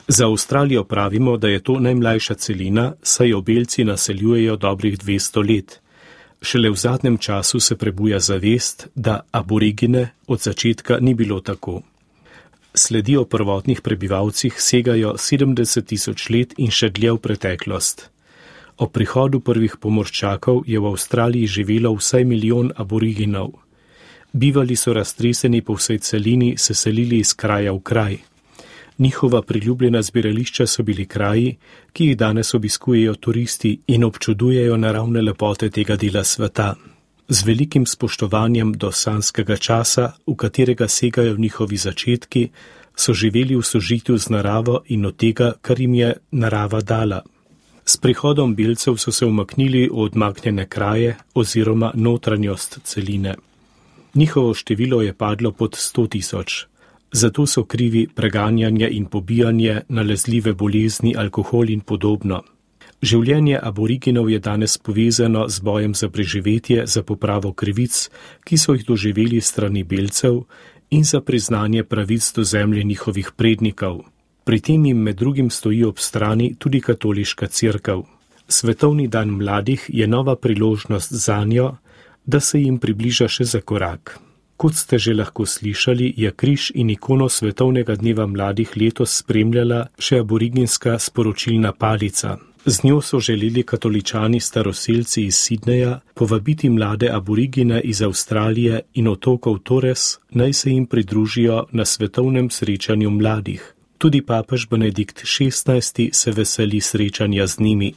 Za Avstralijo pravimo, da je to najmlajša celina, saj jo belci naseljujejo dobrih 200 let. Šele v zadnjem času se prebuja zavest, da aborigine od začetka ni bilo tako. Sledi o prvotnih prebivalcih segajo 70 000 let in še dlje v preteklost. Ob prihodu prvih pomorščakov je v Avstraliji živelo vsaj 1 milijon aboriginov. Bivali so raztreseni po vsej celini, se selili iz kraja v kraj. Njihova priljubljena zbirališča so bili kraji, ki jih danes obiskujejo turisti in občudujejo naravne lepote tega dela sveta. Z velikim spoštovanjem do sanskega časa, v katerega segajo njihovi začetki, so živeli v sožitju z naravo in od tega, kar jim je narava dala. S prihodom belcev so se umaknili v odmaknjene kraje oziroma notranjost celine. Njihovo število je padlo pod 100 000. Zato so krivi preganjanje in pobijanje, nalezljive bolezni, alkohol in podobno. Življenje aboriginov je danes povezano z bojem za preživetje, za popravo krivic, ki so jih doživeli strani belcev, in za priznanje pravic do zemlje njihovih prednikov. Pri tem jim med drugim stoji ob strani tudi katoliška cerkev. Svetovni dan mladih je nova priložnost zanjo, da se jim približa še za korak. Kot ste že lahko slišali, je križ in ikono Svetovnega dneva mladih letos spremljala še aboriginska sporočilna palica. Z njo so želeli katoličani staroselci iz Sydneyja povabiti mlade aborigine iz Avstralije in otokov Torres, naj se jim pridružijo na svetovnem srečanju mladih. Tudi papež Benedikt XVI se veseli srečanja z njimi.